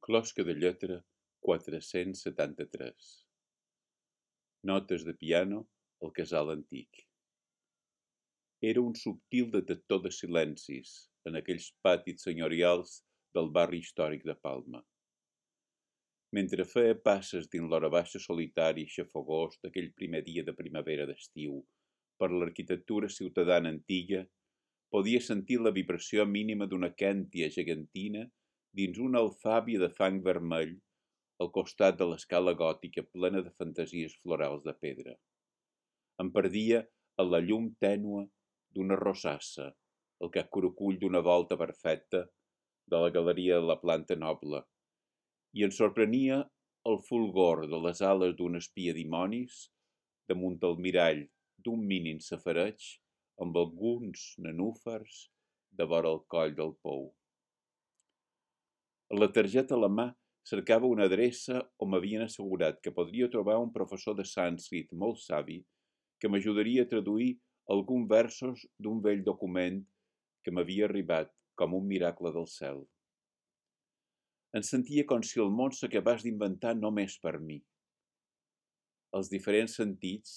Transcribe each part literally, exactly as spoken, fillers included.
Closca de lletra quatre-cents setanta-tres. Notes de piano al casal antic. Era un subtil detector de silencis en aquells patis senyorials del barri històric de Palma. Mentre feia passes dins l'hora baixa solitari i xafogós d'aquell primer dia de primavera d'estiu per l'arquitectura ciutadana antiga, podia sentir la vibració mínima d'una quèntia gegantina dins una alfàbia de fang vermell al costat de l'escala gòtica plena de fantasies florals de pedra. Em perdia a la llum tènua d'una rosassa, el capcurucull d'una volta perfecta de la galeria de la planta noble, i em sorprenia el fulgor de les ales d'un espia dimonis damunt el mirall d'un mínim safareig amb alguns nenúfars de vora el coll del pou. A la targeta a la mà cercava una adreça on m'havien assegurat que podria trobar un professor de sànscrit molt savi que m'ajudaria a traduir alguns versos d'un vell document que m'havia arribat com un miracle del cel. Em sentia com si el món s'acabés d'inventar només per mi. Els diferents sentits,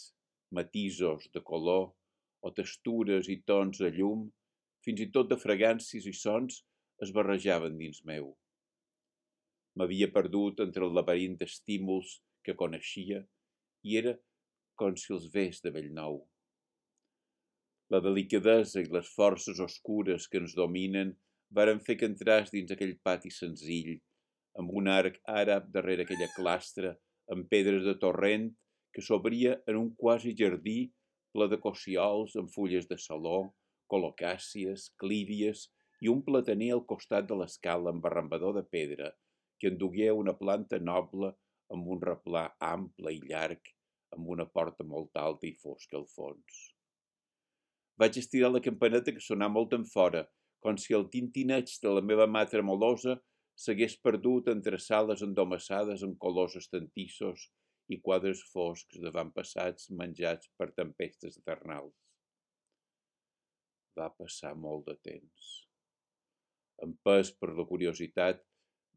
matisos de color o textures i tons de llum, fins i tot de fragàncies i sons, es barrejaven dins meu. M'havia perdut entre el laberint d'estímuls que coneixia i era com si els ves de bell nou. La delicadesa i les forces oscures que ens dominen varen fer que entràs dins aquell pati senzill, amb un arc àrab darrere aquella clastra, amb pedres de torrent que s'obria en un quasi jardí ple de cociols amb fulles de saló, colocàcies, clívies i un plataner al costat de l'escala amb arrambador de pedra que endugué una planta noble amb un replà ample i llarg, amb una porta molt alta i fosca al fons. Vaig estirar la campaneta que sonà molt enfora, com si el tintineig de la meva mà tremolosa s'hagués perdut entre sales endomassades en colors estantissos i quadres foscs d'avantpassats menjats per tempestes eternals. Va passar molt de temps. Empès per la curiositat,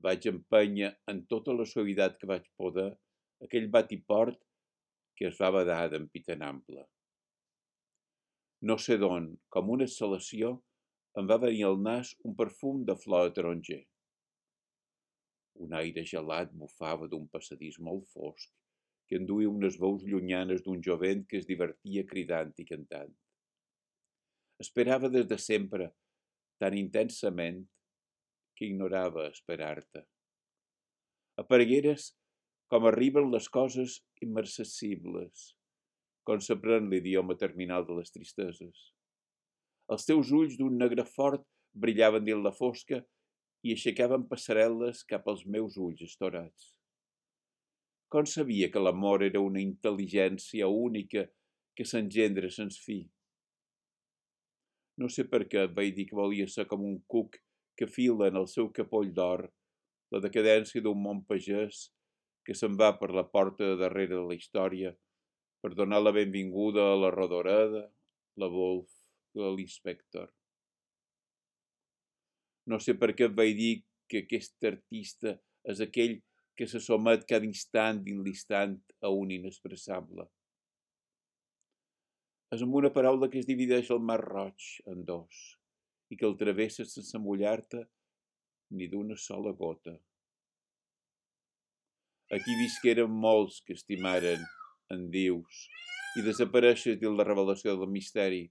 vaig empènyer en tota la suavitat que vaig poder aquell batiport que es va badar d'empitanample. No sé d'on, com una exhalació, em va venir al nas un perfum de flor de taronger. Un aire gelat bufava d'un passadís molt fosc que enduia unes veus llunyanes d'un jovent que es divertia cridant i cantant. Esperava des de sempre, tan intensament, que ignorava esperar-te. Aparegueres com arriben les coses immarcessibles, com s'aprèn l'idioma terminal de les tristeses. Els teus ulls d'un negre fort brillaven dins la fosca i aixecaven passarel·les cap als meus ulls estorats. Com sabia que l'amor era una intel·ligència única que s'engendra sens fi? No sé per què vaig dir que volia ser com un cuc que fila en el seu capoll d'or la decadència d'un món pagès que se'n va per la porta de darrere de la història per donar la benvinguda a la Rodoreda, la Wolf i l'Inspector. No sé per què vaig dir que aquest artista és aquell que se somet cada instant dins l'instant a un inexpressable. És amb una paraula que es divideix el mar Roig en dos i que el travessa sense mullar-te ni d'una sola gota. Aquí visqueren molts que estimaren en Dius i desapareixes dins la revelació del misteri.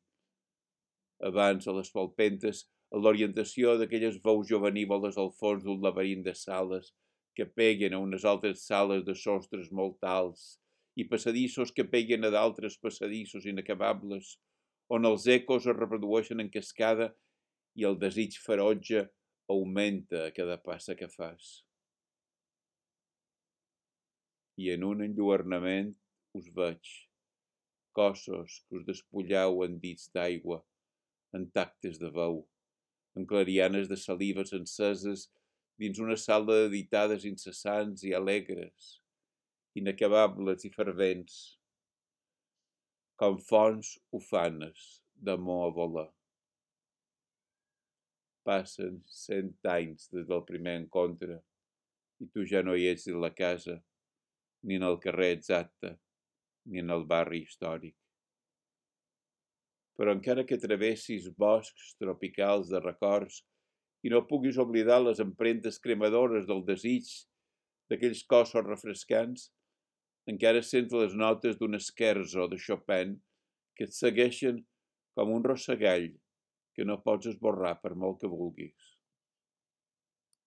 Abans, a les palpentes, a l'orientació d'aquelles veus jovenívoles al fons d'un laberint de sales que peguen a unes altres sales de sostres molt alts i passadissos que peguen a d'altres passadissos inacabables, on els ecos es reprodueixen en cascada i el desig ferotge augmenta a cada passa que fas. I en un enlluernament us veig, cossos que us despulleu en dits d'aigua, en tactes de veu, en clarianes de salives enceses dins una sala d'editades incessants i alegres, inacabables i fervents, com fonts ufanes d'amor a voler. Passen cent anys des del primer encontre i tu ja no hi ets en la casa, ni en el carrer exacte, ni en el barri històric. Però encara que travessis boscs tropicals de records i no puguis oblidar les empremtes cremadores del desig d'aquells cossos refrescants, encara sents les notes d'un scherzo de Chopin que et segueixen com un rossegall que no pots esborrar per molt que vulguis.